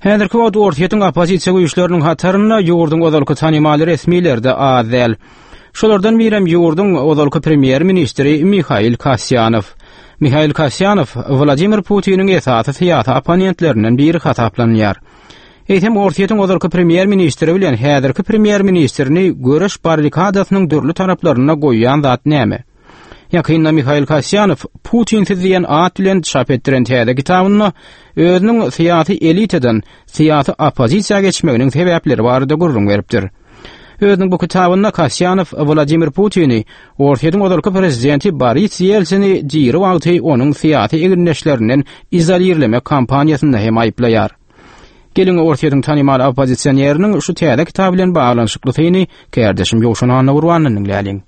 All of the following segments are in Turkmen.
Häzirki wagt Orsýetiň oppozisiýa güýçleriniň hatarynda ýurduň ozalky tanymal resmileri-de az däl. Şolardan birem ýurduň ozalky premýer-ministri Mihail Kasýanow. Mihail Kasýanow Wladimir Putiniň esasy syýasy opponentlerinden biri hasaplanylýar. Eýsem Orsýetiň ozalky premýer-ministri bilen häzirki premýer-ministrini göreş barrikadasynyň dürli taraplarynda goýýan zat näme? Ýakynda Mihail Kasýanow Putinsiz diýen at bilen çap etdiren täze kitabynda özüniň syýasy elitadan syýasy oppozisiýa geçmeginiň sebäpleri barada gürrüň beripdir. Özüniň bu kitabynda Kasýanow Wladimir Putini Orsýetiň ozalky prezidenti Boris Ýeltsini diri wagty onuň syýasy egindeşlerinden izolirlemek kampaniýasynda hem aýyplaýar. Geliň Orsýetiň tanymal oppozisioneriniň şu täze kitaby bilen baglanyşykly syny kärdeşim Ýowşan Annagurbandan diňläliň.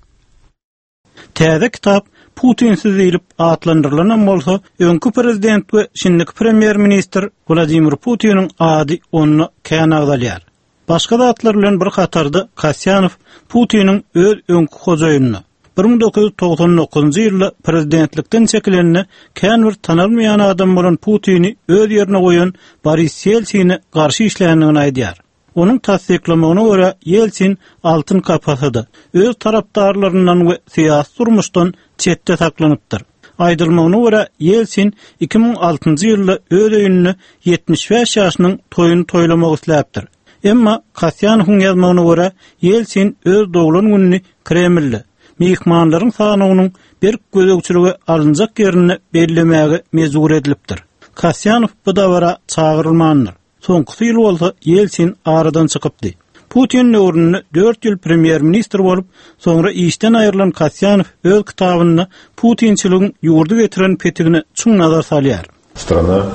Täze kitap Putinsiz diýlip atlandyrylanam bolsa, öňki prezident we şindiki premýer-ministr Wladimir Putiniň ady onda kän agzalýar. Başga zatlar bilen bir hatarda Kasýanow Putiniň öz öňki hojaýynyna, 1999-njy ýylda prezidentlikden çekilende kän bir tanalmaýan adam bolan Putini öz ýerine goýan Boris Ýeltsine garşy işländigini aýdýar. Onuň tassyklamagyna görä, Ýeltsin altyn kapasada, öz tarapdarlaryndan we syýasy durmuşdan çetde saklanypdyr. Aýdylmagyna görä, Ýeltsin 2006-njy ýylda öz öýünde 75 ýaşynyň toýuny toýlamak isläpdir. Emma, Kasýanowyň ýazmagyna görä, Ýeltsin öz doglan gününi Kremlde, myhmanlaryň sanawynyň berk gözegçilige alynjak ýerinde bellemäge mejbur edilipdir. Kasýanow bu dabara çagyrylmandyr. Soňkusy ýyl bolsa Ýeltsin aradan çykypdy. Putin döwründe dört ýyl premýer-ministr bolup, soňra işden aýrylan Kasýanow öz kitabynda putinçiligiň ýurdy getiren petigine çuň nazar salýar. Strana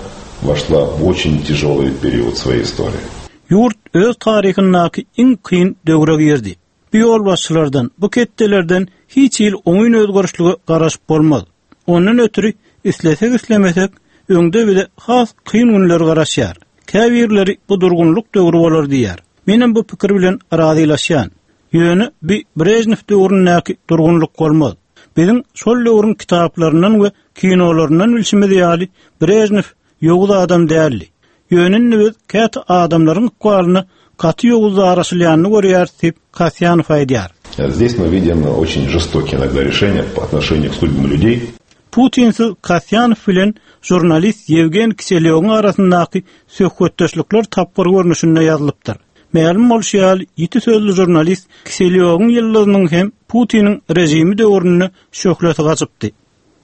woşla w oçin týažolyý period svoýeý istoriýi. Ýurt öz taryhyndaky iň kyn döwre girdi. Bu ýolbaşçylardan, bu ketdelerden hiç hili oňyn özgerişlige garaşyp bolmaz. Ondan ötri, islesek-islemesek, öňde bize has kyn günler garaşýar. Käbirleri bu durgunlyk döwri bolar diýýär. Menem bu pikir bilen razylaşýan. Ýöne bi Brežnew döwründäki durgunlyk bolmaz. Biziň şol döwrüň kitaplaryndan we kinolaryndan bilşimiz ýaly, Brežnew ýowuz adam däldi. Ýöne indi biz käte adamlaryň ykbalyna gaty ýowuz daraşylýanyny görýäris diýip, Kasýanow aýdýar. Здесь мы видим очень жестокие иногда решения по отношению к судьбам людей. Putinsiz Kasýanow bilen žurnalist Ýewgen Kiselýowyň arasyndaky söhbetdeşlikler tapgyr görnüşinde ýazylypdyr. Mälim bolşy ýaly, ýiti sözli žurnalist Kiselýowyň ýyldyzynyň hem Putiniň režimi döwründe şöhlesi gaçypdy.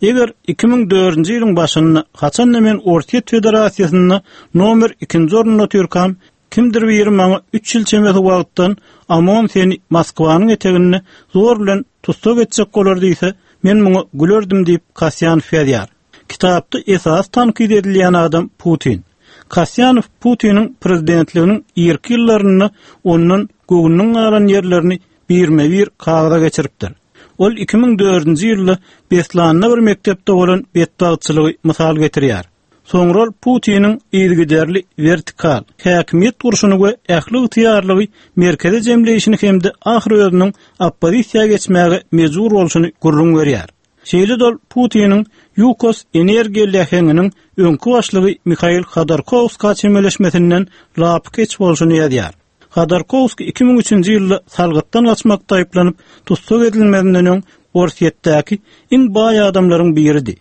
Eger 2004-nji ýylyň başynda, haçan-da men Orsýet Federasiýasynda nomer ikinji orunda otyrkam, kimdir biri maňa üç ýyl çemesi wagtdan OMON seni Moskwanyň eteginde zor bilen tussag etjek bolar diýse, men muňa gülerdim diýip, Kasýanow ýazýar. Kitapda esasy tankyt edilýän adam Putin. Kasýanow Putiniň prezidentliginiň irki ýyllarynda ondan göwnüniň galan ýerlerini birme-bir kagyza geçiripdir. Ol 2004-nji ýylda Beslanda bir mekdepde bolan betbagtçylygy mysal getirýär. Soňra ol Putiniň yzygiderli wertikal, häkimiýet gurşuny we ähli ygtyýarlygy merkeze jemleýşini hem-de ahyry özüniň oppozisiýa geçmäge mejbur bolşuny gürrüň berýär. Şeýle-de ol Putiniň Ýukos energiýa läheňiniň öňki başlygy Mihail Hodorkowskä çemeleşmesinden lapykeç bolşuny ýazýar. Hodorkowskiý 2003-nji ýylda salgytdan gaçmakda aýyplanyp, tussag edilmezinden öň Orsýetdäki iň baý adamlaryň biridi.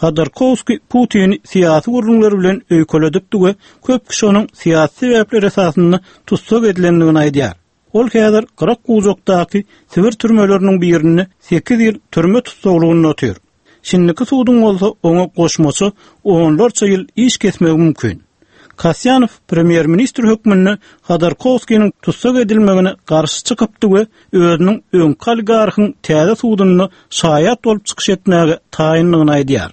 Hodorkowskiý Putini syýasy gürrüňler bilen öýkeledipdi we köp kişi onuň syýasy sebäpler esasynda tussag edilendigini aýdýar. Ol häzir gyrak-bujakdaky Sibir türmeleriniň birinde sekiz ýyl türme tussaglygynda otyr. Şindiki suduň bolsa oňa goşmaça onlarça ýyl iş kesmegi mümkin. Kasýanow premýer-ministr hökmünde Hodorkowskiniň tussag edilmegine garşy çykypdy we özüniň öňki oligarhyň täze sudunda şaýat bolup çykyş etmäge taýyndygyny aýdýar.